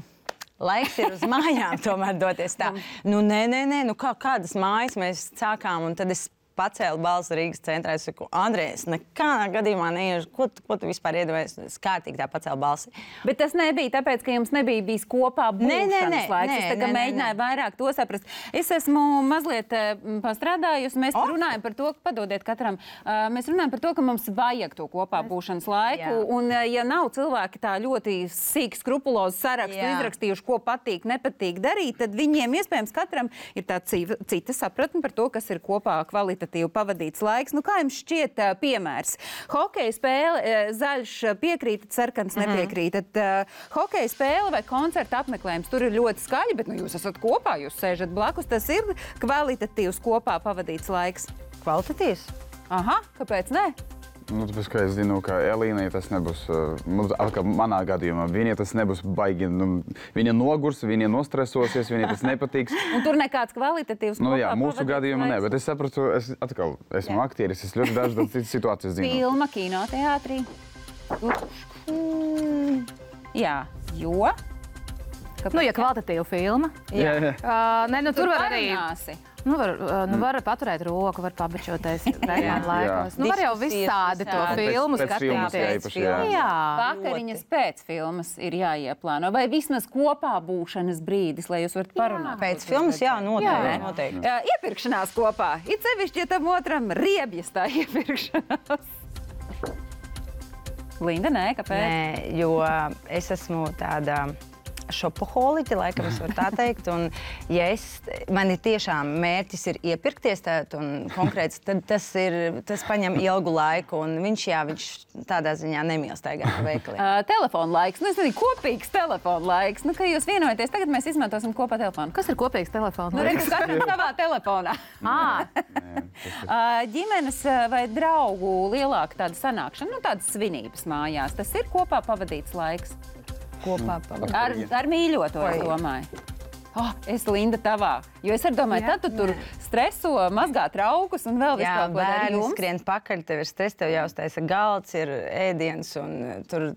laiks ir uz mājām tomēr doties tā. Nu, nē, nē, nē, nu kā, kādas mājas mēs sākām un tad es pacēlu balsi Rīgas centrā. Es saku, Andrejs, nekādā gadījumā neiešu. Ko, ko tu vispār iedomājies? Es kārtīgi tā pacēlu balsi. Bet tas nebija tāpēc, ka jums nebija bijis kopā būšanas nē, nē, laiks. Nē, es tā kā nē, mēģināju nē. vairāk to saprast. Es esmu mazliet pastrādājusi. Mēs oh. runājam par to, ka padodiet katram. Uh, mēs runājam par to, ka mums vajag to kopā būšanas laiku. Jā. Un ja nav cilvēki tā ļoti sīk skrupulozu sarakstu Jā. izrakstījuši, ko patīk, nepatīk darīt, tad viņiem iespējams katram ir tā cita sapratne par to, kas ir kopā kvalitatīvi pavadīts laiks. Nu, kā jums šķiet uh, piemērs? Hokeja spēle, uh, zaļš piekrītat, sarkans mm-hmm. nepiekrītat. Uh, hokeja spēle vai koncerta apmeklējums, tur ir ļoti skaļi, bet nu, jūs esat kopā, jūs sēžat blakus. Tas ir kvalitatīvs kopā pavadīts laiks. Kvalitatīvs? Aha, kāpēc ne? Nu, tāpēc, ka es zinu, ka Elīnai tas nebūs, uh, manā gadījumā, viņai tas nebūs baigi, nu, viņa nogurs, viņa nostresosies, viņai tas nepatiks. Un tur nekāds kvalitatīvs nu, jā, kopā mūsu gadījumā ne, bet es sapratu, es atkal esmu jā. aktieris, es ļoti dažas citas situācijas zinu. Filma, kinoteātrī. Mm, jā, jo... Kāpēc? Nu, ja kvalitatīva filma. Jā, jā. Uh, ne, nu, tur, tur var arī... Parunāsi. Nu, var, nu, var paturēt roku, var pabačoties vērjānu laikos. Nu, var jau visādi to filmu skatīties. Jā. Vakariņas pēc filmas ir jāieplāno. Vai vismaz kopā būšanas brīdis, lai jūs varat parunāt? Pēc filmas, jā, noteikti. noteikti. Jā, iepirkšanās kopā. It sevišķi, ja tam otram riebjas tā iepirkšanās. Linda, nē, kāpēc? Nē, jo es esmu tāda šopoholiķi, laikam es varu tā teikt. Un, ja es, man ir tiešām mērķis ir iepirkties tāt un konkrēts, tad tas, ir, tas paņem ilgu laiku. Un viņš, jā, viņš tādā ziņā nemīl staigāt veikalī. Uh, telefona laiks. Nu, es nezinu, kopīgs telefona laiks. Nu, ka jūs vienojaties, tagad mēs izmantosim kopā telefonu. Kas ir kopīgs telefona Nu, laiks? redz, katram savā telefonā. Ā, Uh, ģimenes uh, vai draugu lielāka tāda sanākšana, nu, tādas svinības mājās. Tas ir kopā pavadīts laiks. Kopā pavadīt. Ar, ar mīļoto, es domāju. Oh, es Linda tavā, jo es arī domāju, Jā, tad tu tur streso, mazgā traukus un vēl visu Jā, kaut ko dari bērni jums. skrien pakaļ, tev ir stress, tev jāuztaisa galds, ir ēdiens, un, tur,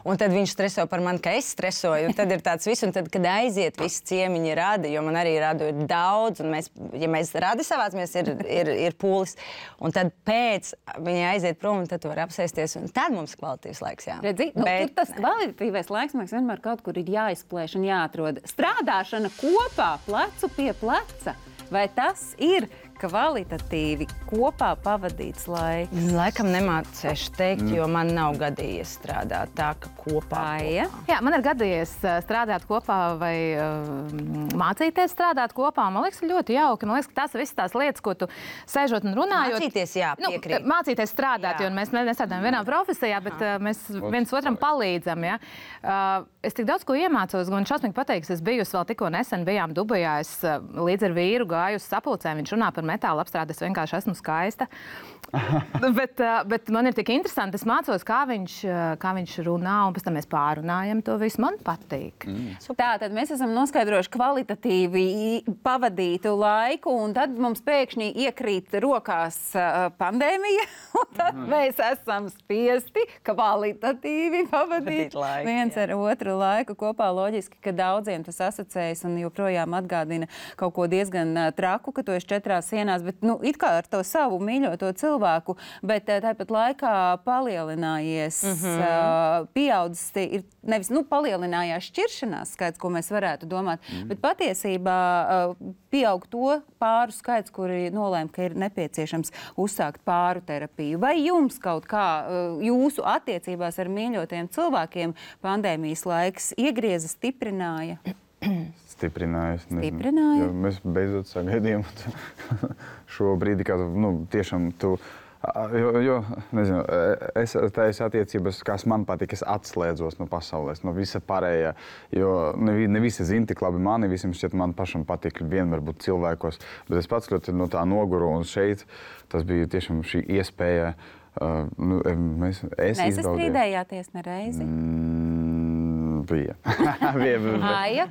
un tad viņš streso par mani, ka es stresoju, un tad ir tāds viss, un tad, kad aiziet visi ciemiņi radi, jo man arī radu ir daudz, un mēs, ja mēs radi savācamies, ir, ir, ir pūlis, un tad pēc viņi aiziet prom, un tad tu vari apsēsties, un tad mums kvalitīvs laiks, jā. Redzi, nu, Bet, tur tas kvalitatīvais laiks, man liekas, vienmēr kaut kur ir jāizplēš un jāatrod. Strādāšana kopā, plecu pie pleca. Vai tas ir kvalitatīvi kopā pavadīts laiks? Laikam nemācēšu teikt, jo man nav gadījies strādāt tā, ka kopā. Aija? Jā, man ir gadījies uh, strādāt kopā vai uh, mācīties strādāt kopā. Man liekas, ļoti jauki. Man liekas, ka tās ir visas tās lietas, ko tu sēžot un runājot. Mācīties, jā, piekrīt. Nu, mācīties strādāt, Jā. jo mēs nestrādājam vienā profesijā, bet uh, mēs viens otram palīdzam. Ja? Uh, es tik daudz ko iemācos, un šausmīgi pateiks, es biju vēl tikko nesen, bijām Dubajā, es uh, līdz ar vīru gāju uz sapulcēm, viņš runā par metāla apstrādi, es vienkārši esmu skaista. bet, uh, bet man ir tik interesanti, es mācos, kā viņš, uh, kā viņš runā, un pēc tam mēs pārunājam to visu. Man patīk. Mm. Tā, tad mēs esam noskaidrojuši kvalitatīvi pavadītu laiku, un tad mums pēkšņi iekrīt rokās uh, pandēmija, un tad mm. mēs esam spiesti kvalitatīvi pavadīt laiku, viens jā. ar otru laiku kopā. Loģiski, ka daudziem tas asociējas un joprojām atgādina kaut ko diezgan uh, traku, ka tu esi četrās sienās, bet nu, it kā ar to savu mīļoto cilvēku, bet uh, tāpat laikā palielinājies, mm -hmm. uh, pieaudzis, ir nevis nu, palielinājās šķiršanās skaits, ko mēs varētu domāt, mm. bet patiesībā uh, pieaug to pāru skaits, kuri nolēma, ka ir nepieciešams uzsākt pāru terapiju. Vai jums kaut kā uh, jūsu attiecībās ar mīļotajiem cilvēkiem pandēmijas laiks iegrieza, stiprināja? Stiprināja. Stiprināja? Jo mēs beidzot sagaidījām šo brīdi, kad nu, tiešām tu. Jo, jo nezinu, es tādas attiecības, kas man patīk, es atslēdzos no pasaules, no visa pārējā. Jo ne, ne visi zina tik labi mani, visiem šķiet, man pašam patīk vienmēr būt cilvēkos. Bet es pats ļoti no tā noguru, un šeit tas bija tiešām šī iespēja. Uh, nu, mēs, es Nesastrīdējāties nereizi? Mm, bija. bija. Aija,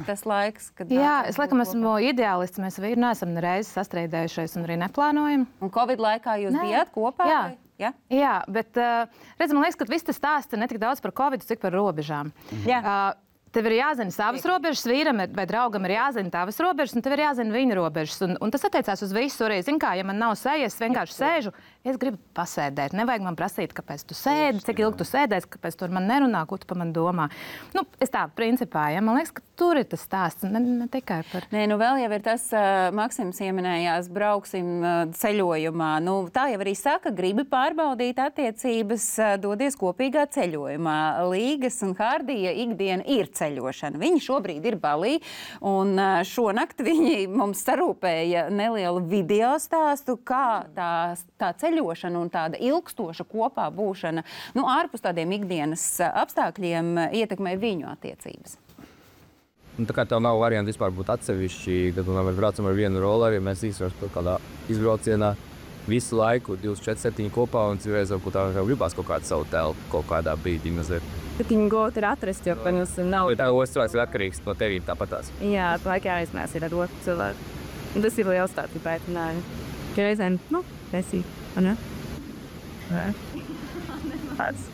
tas laiks, kad... Jā, es laikam esmu ideālists. Mēs vīri neesam nereizi sastrīdējušies un arī neplānojam. Un Covid laikā jūs Nē. bijāt kopā? Jā. Vai? Ja? Jā, bet uh, redz, man liekas, ka viss tas stāsts ir ne tik daudz par Covid, cik par robežām. Jā. Uh, Tev ir jāzina savas robežas, vīram vai draugam ir jāzina tavas robežas, un tev ir jāzina viņa robežas. Un, un tas attiecās uz visu. Arī, zin kā, ja man nav sejas, es vienkārši sēžu, es gribu pasēdēt. Nevajag man prasīt, kāpēc tu sēdi, cik ilgi tu sēdēsi, kāpēc tu ar mani nerunā, ko tu par mani domā. Nu, es tā, principā, ja, man liekas, ka tur ir tas stāsts, ne, ne tikai par... Nē, nu vēl jau ir tas, uh, Maksims ieminējās, brauksim uh, ceļojumā. Nu, tā jau arī saka, gribi pārbaudīt attiecības, uh, dodies kopīgā ceļojumā. Līgas un Hārdija ikdiena ir ceļošana. Viņi šobrīd ir Balī, un uh, šonakt viņi mums sarūpēja nelielu video stāstu, kā tā, tā ceļošana un tāda ilgstoša kopā būšana, nu, ārpus tādiem ikdienas uh, apstākļiem uh, ietekmē viņu attiecības. Un tā kā tev nav varianti vispār būt atsevišķi, tad mēs braucam ar vienu roleri, mēs īstenībā kaut kādā izbraucienā visu laiku, divdesmit četri septiņi kopā, un citreiz varbūt tā gribās kaut kādu savu telpu, kaut kādā brīdī mazliet. Tad viņu gūt ir atrast, jo, protams, nav... Tā otrs cilvēks ir atkarīgs no tevīm tāpatās. Jā, tā laikā jāizmēs ir ar otru cilvēku. Un tas ir liels tāds, ja pētināju. Ka reizēm, nu, esi, vai ne? Nē. Tāds.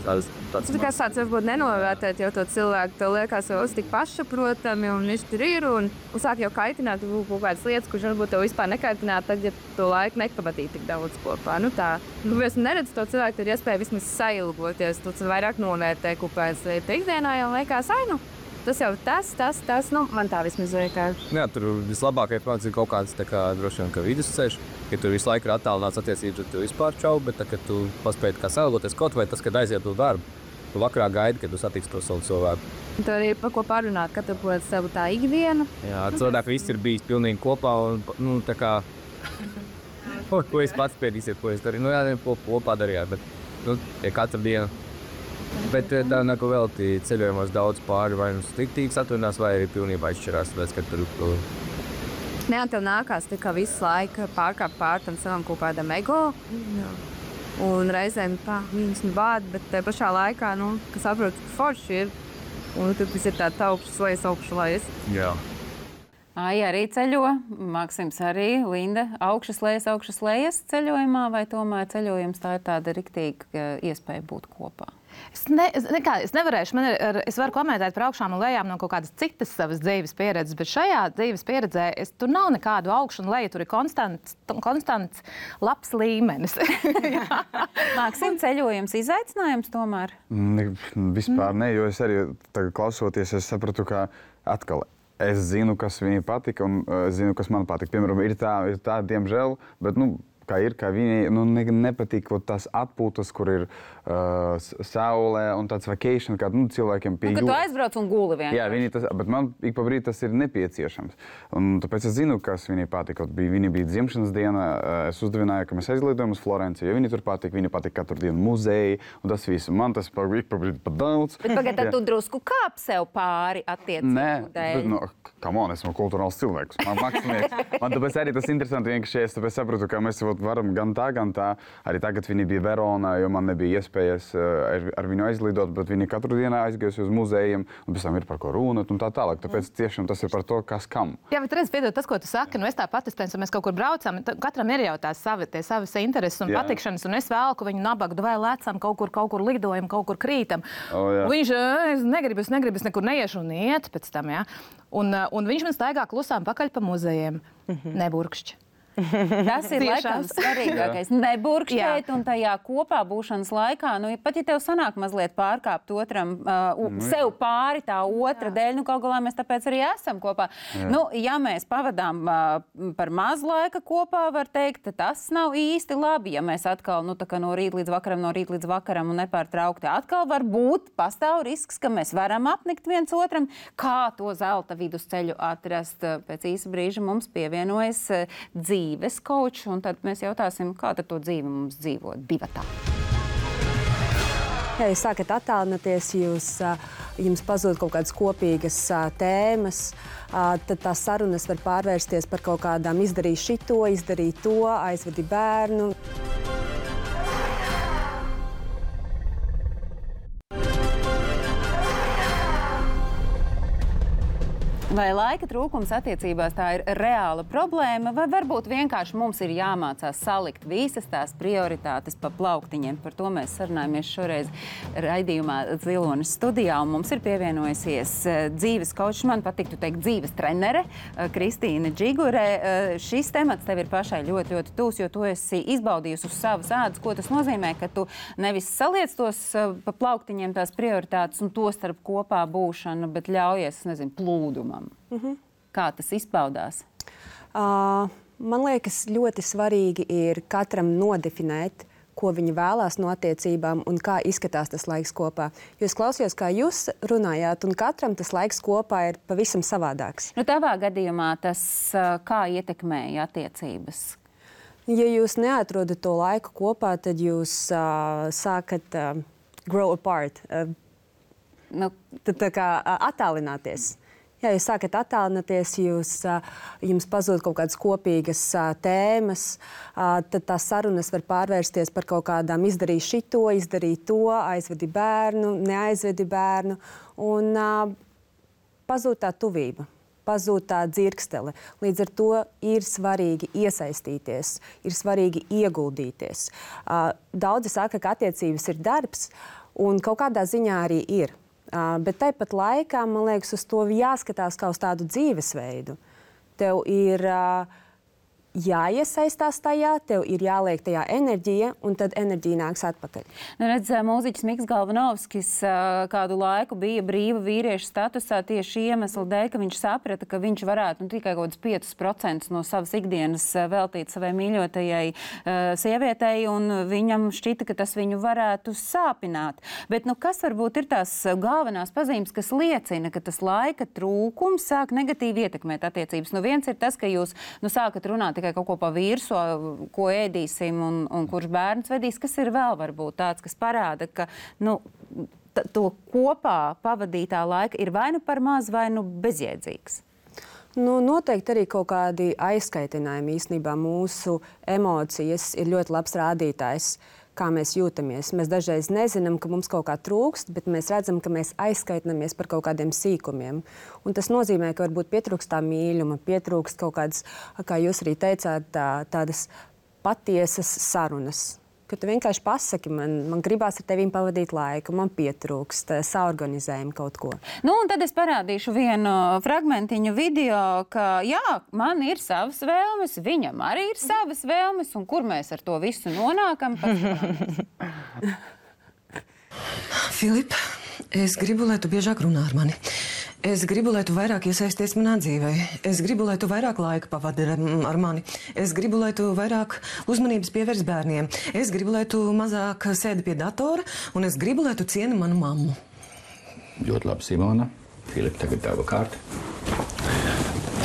Tāds, tāds Tu kā sāc varbūt nenovērtēt jau to cilvēku, tev liekas, jau tik pašsaprotami, un viņš tur ir, un, un sāk jau kaitināt kaut kādas lietas, kurš varbūt tev vispār nekaitināt, tad, ja tu laiku nepavadīji tik daudz kopā. Nu tā, nu, es neredzu to cilvēku, tur iespēja vismaz sailgoties, tu vairāk novērtē kopējas lietas. Ikdienā jau liekas, ai, nu, tas jau tas, tas, tas, nu, man tā vismaz liekas. Jā, tur vislabākais pamats ir kaut kāds tā kā droši vien, ka vidusceļš. Ja tur visu laiku ir attālināts attiecības, tad tu vispār čau, bet tā, kad tu paspēji kā sailgoties kaut vai tas, kad aiziet uz darbu, tu vakarā gaidi, kad tu satiksi to savu cilvēku. Tu arī par ko parunāt, katru prot savu tā ikdienu. Jā, cilvēki visi ir bijis pilnīgi kopā un, nu, tā kā, ko, ko es pats spiedīsiet, ko es darīju. Nu, jā, ko kopā darījāt, bet, nu, ja katru dienu. Bet tā neko velti ceļojumos daudz pāri, vai nu striktīgi satvinās, vai arī pilnībā izšķirās, tāpēc, ka tur... tur Nē, tev nākās tikai visu laiku pārkāpt pār tam savam kaut kādam ego. Jā. Un reizēm pā, viņas nu bāda, bet te pašā laikā, nu, kas saprot, ka forši ir. Un tur tas ir tāds augšas lejas, augšas lejas. Jā. Ai, arī ceļo. Maksims arī, Linda, augšas lejas, augšas lejas ceļojumā, vai tomēr ceļojums tā ir tāda riktīga iespēja būt kopā? Es, ne, es, nekā, es nevarēšu, man ir, es varu komentēt par augšām un lejām no kaut kādas citas savas dzīves pieredzes, bet šajā dzīves pieredzē es, tur nav nekādu augšu un leju, tur ir konstants, konstants labs līmenis. Maksim, ceļojums izaicinājums tomēr? Ne, vispār ne, jo es arī tagad klausoties, es sapratu, ka atkal es zinu, kas viņai patika un uh, zinu, kas man patika. Piemēram, ir tā, ir tā diemžēl, bet, nu, kā ir, kā viņai nu, ne, nepatīk tās atpūtas, kur ir uh, saulē un tāds vacation, kā nu, cilvēkiem pie jūras. Nu, kad tu aizbrauc un guli vienkārši. Jā, viņi tas, bet man ik pa brīdi tas ir nepieciešams. Un tāpēc es zinu, kas viņai patika. Viņa bija dzimšanas diena, es uzdevināju, ka mēs aizlidojam uz Florenciju, jo viņi tur patika, viņa patika katru dienu muzeji, un tas visu. Man tas pa, ik pa brīdi pat daudz. Bet pagad, tad tu drusku kāp sev pāri attiecību dēļ? Nē, bet, nu, come on, esmu kultūrāls cilvēks. Man, man tāpēc arī tas interesanti vienkārši, es tāpēc sapratu, ka mēs varam gan tā, gan tā. Arī tagad viņi bija Veronā, jo man nebija iespējas ar, ar viņu aizlidot, bet viņi katru dienu aizgājusi uz muzejiem, un pēc tam ir par ko runāt un tā tālāk. Tāpēc tiešām tas ir par to, kas kam. Jā, bet redz, piedod, tas, ko tu saki, nu es tāpat, es piensu, mēs kaut kur braucam, katram ir jau tās savi, tie savas intereses un jā. Patikšanas, un es velku viņu nabagu, vai lecam, kaut kur, kaut kur lidojam, kaut kur krītam. Oh, viņš, es negribu, es negribu, es nekur neiešu un iet pēc tam, jā. Un, un viņš man staigā klusām pakaļ pa muzejiem. Mm-hmm. Neburkšķi. Tas ir laikam svarīgākais. Neburkšķēt un tajā kopā būšanas laikā, nu, pat ja tev sanāk mazliet pārkāpt otram, uh, mm. sev pāri tā otra jā. Dēļ, nu, kaut galā mēs tāpēc arī esam kopā. Jā. Nu, ja mēs pavadām uh, par maz laika kopā, var teikt, tas nav īsti labi, ja mēs atkal, nu, tā kā no rīta līdz vakaram, no rīta līdz vakaram un nepārtraukti atkal var būt, pastāv risks, ka mēs varam apnikt viens otram. Kā to zelta vidusceļu atrast? Pēc īsa brīža mums pievienojas uh, dzīve. dzīves kočs, un tad mēs jautāsim, kā tad to dzīvi mums dzīvot divatā. Ja jūs sākat attālināties, jūs, jums pazūd kaut kādas kopīgas tēmas, tad tās sarunas var pārvērsties par kaut kādām izdarīt šito, izdarīt to, aizvedi bērnu. Vai laika trūkums attiecībās tā ir reāla problēma, vai varbūt vienkārši mums ir jāmācās salikt visas tās prioritātes pa plauktiņiem? Par to mēs sarunājamies šoreiz raidījumā Zilonis studijā, un mums ir pievienojusies dzīves kočs, man patiktu teikt dzīves trenere, Kristīna Džigure. Šis temats tev ir pašai ļoti, ļoti tūs, jo tu esi izbaudījusi uz savas ādas, ko tas nozīmē, ka tu nevis saliec tos pa plauktiņiem tās prioritātes un to starp kopā būšanu, bet ļaujies, nezinu, plūdumam. Mm-hmm. Kā tas izpaudās? Uh, man liekas, ļoti svarīgi ir katram nodefinēt, ko viņi vēlās no attiecībām un kā izskatās tas laiks kopā. Jo es klausījos, kā jūs runājāt, un katram tas laiks kopā ir pavisam savādāks. Nu, tavā gadījumā tas kā ietekmēja attiecības? Ja jūs neatrodat to laiku kopā, tad jūs uh, sākat uh, grow apart, uh, nu, tad tā kā uh, attālināties. Ja jūs sākat attālināties, jūs, jums pazūd kaut kādas kopīgas tēmas, tad tās sarunas var pārvērsties par kaut kādām izdarīt šito, izdarīt to, aizvedi bērnu, neaizvedi bērnu, un pazūd tā tuvība, pazūd tā dzirkstele. Līdz ar to ir svarīgi iesaistīties, ir svarīgi ieguldīties. Daudzi saka, ka attiecības ir darbs, Un kaut kādā ziņā arī ir. Uh, bet tāpat laikā, man liekas, uz to jāskatās kā uz tādu dzīvesveidu. Tev ir uh, jāiesaistās tajā, tev ir jāliek tajā enerģija, un tad enerģija nāks atpakaļ. Nu, redz, mūziķis Miks Galvanovskis kādu laiku bija brīva vīrieša statusā tieši iemeslu dēļ, ka viņš saprata, ka viņš varētu nu, tikai kaut kādus piecus procentus no savas ikdienas veltīt savai mīļotajai uh, sievietei, un viņam šķita, ka tas viņu varētu sāpināt. Bet nu, kas varbūt ir tās galvenās pazīmes, kas liecina, ka tas laika trūkums sāk negatīvi ietekmēt attiecības? Nu, viens ir tas, ka jūs nu, sākat runāt tikai kaut ko pa virsu, ko ēdīsim un, un kurš bērns vedīs, kas ir vēl varbūt tāds, kas parāda, ka nu, t- to kopā pavadītā laika ir vai nu par maz, vai nu bezjēdzīgs. Nu, noteikti arī kaut kādi aizskaitinājumi. Īstenībā mūsu emocijas ir ļoti labs rādītājs, kā mēs jūtamies. Mēs dažreiz nezinām, ka mums kaut kā trūkst, bet mēs redzam, ka mēs aizskaitinamies par kaut kādiem sīkumiem. Un tas nozīmē, ka varbūt pietrūkst tā mīļuma, pietrūkst kaut kādas, kā jūs arī teicāt, tā, tādas patiesas sarunas. Ka tu vienkārši pasaki, man, man gribās ar tevīm pavadīt laiku, man pietrūkst, saorganizējam kaut ko. Nu, un tad es parādīšu vienu fragmentiņu video, ka jā, man ir savas vēlmes, viņam arī ir savas vēlmes, un kur mēs ar to visu nonākam? Filip, es gribu, lai tu biežāk runā ar mani. Es gribu, lai tu vairāk iesaisties manā dzīvē. Es gribu, lai tu vairāk laika pavadi ar, ar mani. Es gribu, lai tu vairāk uzmanības pievērs bērniem. Es gribu, lai tu mazāk sēdi pie datora, un es gribu, lai tu cieni manu mammu. Ļoti labi, Simona. Filip, tagad tava kārta.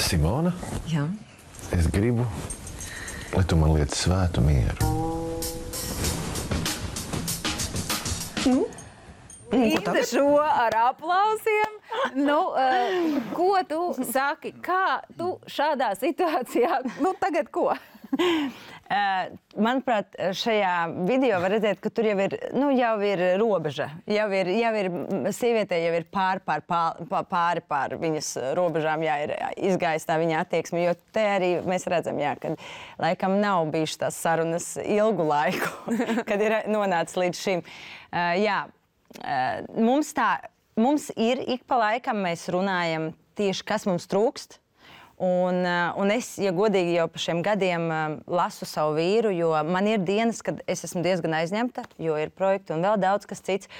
Simona? Jā. Es gribu, lai tu man liec svētu mieru. Nu? Ita šo ar aplausiem. Nu, uh, ko tu saki? Kā tu šādā situācijā? Nu, tagad ko? Uh, manuprāt, šajā video var redzēt, ka tur jau ir, nu, jau ir robeža. Jau ir, jau ir sievietē jau ir pār, pār, pār, pāri pār viņas robežām, jā, ir izgājis tā viņa attieksme, jo te arī mēs redzam, jā, ka laikam nav bijušas tās sarunas ilgu laiku, kad ir nonācis līdz šim. Uh, jā, uh, mums tā, mums ir ik pa laikam mēs runājam tieši, kas mums trūkst. Un, un es, ja godīgi, jau pa šiem gadiem lasu savu vīru, jo man ir dienas, kad es esmu diezgan aizņemta, jo ir projekti un vēl daudz kas cits.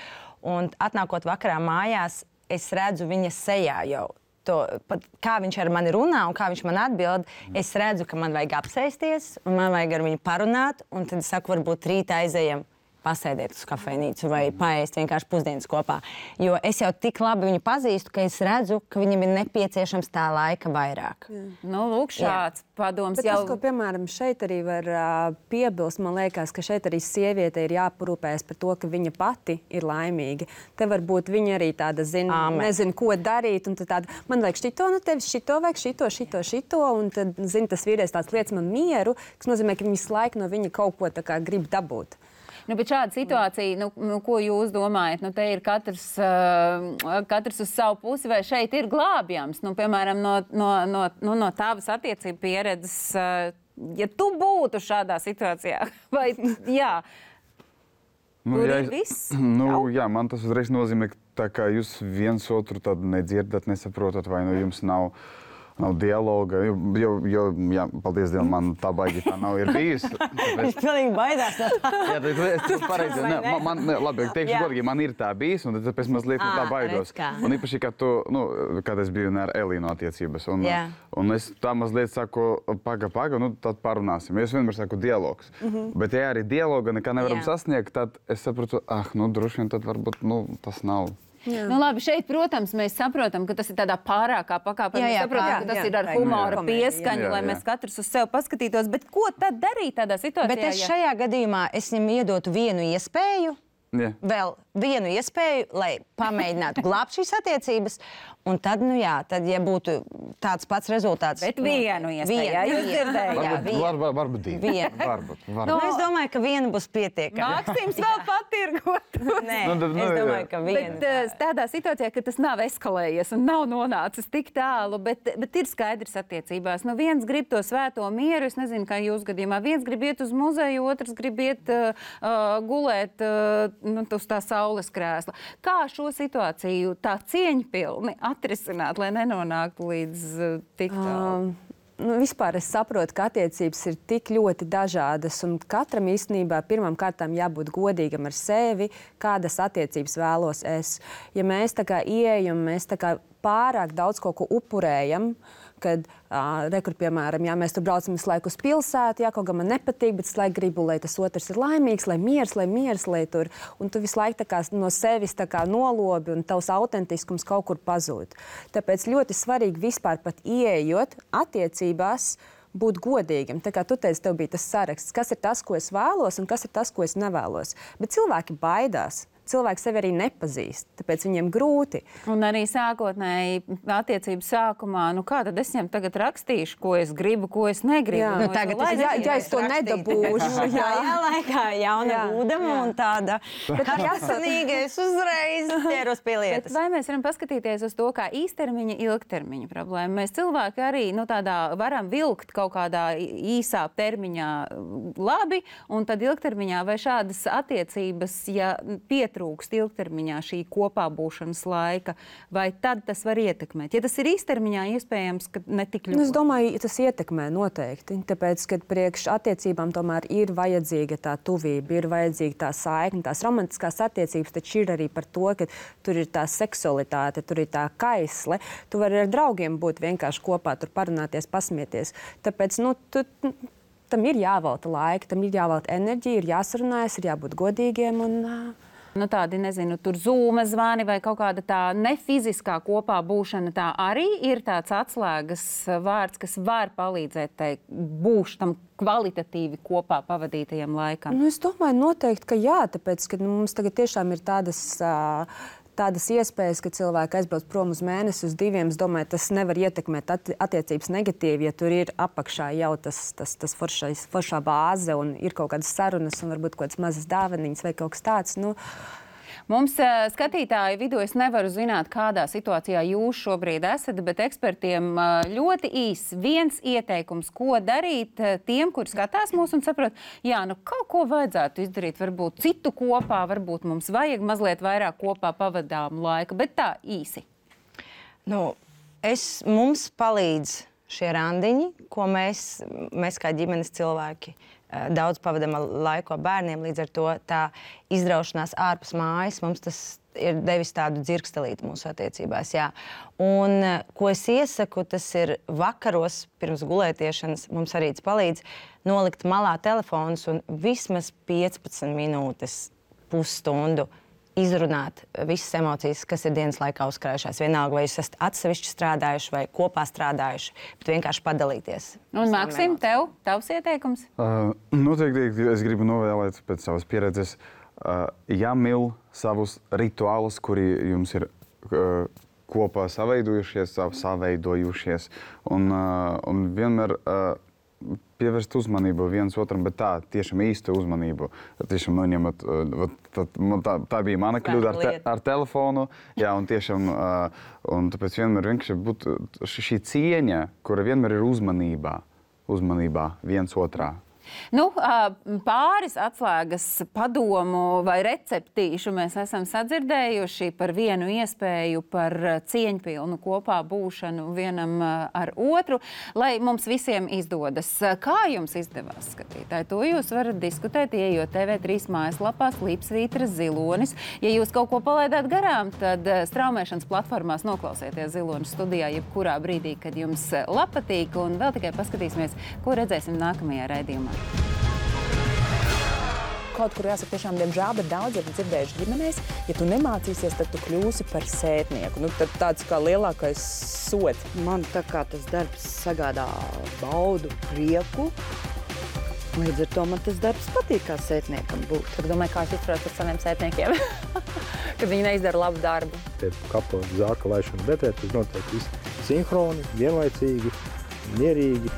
Un atnākot vakarā mājās, es redzu viņa sejā jau. To, pat, kā viņš ar mani runā un kā viņš man atbild, es redzu, ka man vajag apsēsties un man vajag ar viņu parunāt. Un tad es saku, varbūt rīt aizejam pasēdēt uz kafejnīcu vai paēst vienkārši pusdienas kopā. Jo es jau tik labi viņu pazīstu, ka es redzu, ka viņam ir nepieciešams tā laika vairāk. Jā. Nu, lūk, šāds Jā. padoms Bet jau... Tas, ko, piemēram, šeit arī var uh, piebilst, man liekas, ka šeit arī sieviete ir jāparūpējas par to, ka viņa pati ir laimīga. Te varbūt viņa arī tāda zina, Āmen. nezina, ko darīt, un tad tāda, man vajag šito, nu tev šito vajag, šito, šito, šito, un tad, zina, tas vīrietis tāds liec man mieru, kas nozīmē, ka viņas laika no viņa kaut ko tā kā grib dabūt. Nu, bet šāda situācija, nu, nu, ko jūs domājat? Nu, te ir katrs, uh, katrs uz savu pusi, vai šeit ir glābjams? Nu, piemēram, no, no, no, nu, no tavas attiecību pieredzes, uh, ja tu būtu šādā situācijā, vai jā, nu, tur jā, ir viss? Nu, jā, man tas uzreiz nozīmē, ka tā kā jūs viens otru tad nedzirdat, nesaprotat, vai nu jums nav... Nav dialoga, jo, jo, jo jā, paldies Dievam, man tā baigi tā nav ir bijis. Viņš pilnīgi baidās no tā. Jā, tas ir pareizi. Ne, man, man, ne, labi, teikšu godīgi, man ir tā bijis, un tāpēc mazliet no tā baidos. Un īpaši, kad tu, nu, kad es biju ar Elīnu attiecības, un, un es tā mazliet saku, paga, paga, nu, tad parunāsim. Es vienmēr saku dialogs. Mm-hmm. Bet ja arī dialoga nekā nevaram jā. sasniegt, tad es saprotu, ah, nu, droši vien tad varbūt, nu, tas nav. Jā. Nu, labi, šeit, protams, mēs saprotam, ka tas ir tādā pārākā pakāpē. Mēs saprotam, jā, ka tas jā, ir ar humora jā, pieskaņu, jā, jā. lai mēs katrs uz sevi paskatītos. Bet ko tad darīt tādā situācijā? Bet es šajā gadījumā es viņam iedotu vienu iespēju, jā. vēl vienu iespēju, lai pamēģinātu glābt šīs attiecības. Un tad, nu jā, tad, ja būtu tāds pats rezultāts... Bet vienu iespēju, jā, jūs dzirdējāt. Varbūt, varbūt divi. Vienu. Varbūt, varbūt. Nu, es domāju, ka viena būs pietiekama. Maksims vēl patirgot. Nē, nu, tad, nu, es domāju, ka viena. Bet tādā situācijā, ka tas nav eskalējies un nav nonācis tik tālu, bet, bet ir skaidrs attiecībās. Nu, viens grib to svēto mieru, es nezinu, kā jūs gadījumā. Viens grib iet uz muzeju, otrs grib iet uh, gulēt uh, nu, uz tā saules krēsla. Kā šo situāciju tā cieņpilni atrisināt, lai nenonāktu līdz uh, tik tālu? Um. Nu, vispār es saprotu, ka attiecības ir tik ļoti dažādas, un katram īstenībā pirmām kārtām jābūt godīgam ar sevi, kādas attiecības vēlos es. Ja mēs tā kā ieejam, mēs tā kā pārāk daudz kaut ko upurējam, kad, uh, rekur, piemēram, ja mēs tur braucam visu laiku uz pilsētu, jā, kaut kā man nepatīk, bet es laiku gribu, lai tas otrs ir laimīgs, lai miers, lai miers, lai tur, un tu visu laiku tā kā no sevis tā kā nolobi, un tavs autentiskums kaut kur pazūd. Tāpēc ļoti svarīgi vispār pat ieejot attiecībās, būt godīgam. Tā kā tu teici, tev bija tas saraksts, kas ir tas, ko es vēlos, un kas ir tas, ko es nevēlos. Bet cilvēki baidās. Cilvēki sevi arī nepazīst, tāpēc viņiem grūti. Un arī sākotnēji attiecību sākumā, nu kā tad es viņam tagad rakstīšu, ko es gribu, ko es negribu? Jā, nu, tagad es, ja, ja es to nedabūšu. Jā, jā, laikā jauna būdama un tāda karsanīga, es uzreiz ķeros pie lietas. Bet vai mēs varam paskatīties uz to kā īstermiņa, ilgtermiņa problēmu? Mēs cilvēki arī, nu tādā varam vilkt kaut kādā īsā termiņā labi, un tad ilgtermiņā vai šādas attiecības, ja pietrūkst trūkst ilgtermiņā šī kopā būšanas laika, vai tad tas var ietekmēt? Ja tas ir īstermiņā, iespējams, ka ne tik ļoti. Nu, es domāju, tas ietekmē noteikti, tāpēc, ka priekš attiecībām tomēr ir vajadzīga tā tuvība, ir vajadzīga tā saikne, tās romantiskās attiecības, taču ir arī par to, ka tur ir tā seksualitāte, tur ir tā kaisle, tu vari ar draugiem būt vienkārši kopā, tur parunāties, pasmieties. Tāpēc, nu, tu, tam ir jāvelta laika, tam ir jāvelta enerģija, ir jāsarunājas, ir jābūt godīgiem un... Nu, tādi, nezinu, tur zūma zvani vai kaut kāda tā nefiziskā kopā būšana, tā arī ir tāds atslēgas vārds, kas var palīdzēt tai būš tam kvalitatīvi kopā pavadītajam laikam. Nu, es domāju noteikti, ka jā, tāpēc, ka nu, mums tagad tiešām ir tādas... Uh, Tādas iespējas, ka cilvēki aizbrauc prom uz mēnesi, uz diviem, es domāju, tas nevar ietekmēt attiecības negatīvi, ja tur ir apakšā jau tas, tas, tas foršais, foršā bāze un ir kaut kādas sarunas un varbūt kaut kādas mazas dāvaniņas vai kaut kas tāds. Nu, Mums skatītāju vidū es nevaru zināt, kādā situācijā jūs šobrīd esat, bet ekspertiem ļoti īs viens ieteikums, ko darīt tiem, kuri skatās mūs un saprot, jā, nu kaut ko vajadzētu izdarīt, varbūt citu kopā, varbūt mums vajag mazliet vairāk kopā pavadām laika, bet tā īsi. Nu, es, mums palīdz šie randiņi, ko mēs, mēs kā ģimenes cilvēki daudz pavadām laiku ar bērniem, līdz ar to tā izraušanās ārpus mājas, mums tas ir devis tādu dzirkstelīti mūsu attiecībās, jā. Un, ko es iesaku, tas ir vakaros pirms gulētiešanas, mums arī tas palīdz nolikt malā telefonus un vismaz piecpadsmit minūtes, pusstundu izrunāt visas emocijas, kas ir dienas laikā uzkrājušās. Vienalga, vai jūs esat atsevišķi strādājuši vai kopā strādājuši, bet vienkārši padalīties. Un, Maksim, tev, tavs ieteikums? Uh, noteikti es gribu novēlēt pēc savas pieredzes, uh, jāmil savus rituālus, kuri jums ir uh, kopā saveidojušies, saveidojušies, un, uh, un vienmēr uh, pievērst uzmanību viens otram, bet tā, tiešām īstu uzmanību. Tiešām noņemat, tā, tā bija mana kļūda ar, te, ar telefonu, jā, un tiešām, un tāpēc vienmēr vienkārši būtu šī cieņa, kura vienmēr ir uzmanībā, uzmanībā viens otrā. Nu, pāris atslēgas padomu vai receptīšu mēs esam sadzirdējuši par vienu iespēju par cieņpilnu kopā būšanu vienam ar otru, lai mums visiem izdodas. Kā jums izdevās, skatītāji? To jūs varat diskutēt, ieejot T V trīs mājaslapā Slīpsvītra Zilonis. Ja jūs kaut ko palaidāt garām, tad straumēšanas platformās noklausieties Zilonis studijā jebkurā brīdī, kad jums patīk, un vēl tikai paskatīsimies, ko redzēsim nākamajā raidījumā. Kaut kur jāsaka tiešām, diemžēl, bet daudz ir dzirdējuši ģimenēs, ja tu nemācīsies, tad tu kļūsi par sētnieku. Nu, tad tāds kā lielākais sots. Man tā kā tas darbs sagādā baudu, prieku. Līdz ar to man tas darbs patīk kā sētniekam būt. Tad domāju, kā es izturos ar saviem sētniekiem, kad viņi neizdara labu darbu. Tie kapu zāka laišana betē, tas notiek visi sinhroni, vienlaicīgi, mierīgi.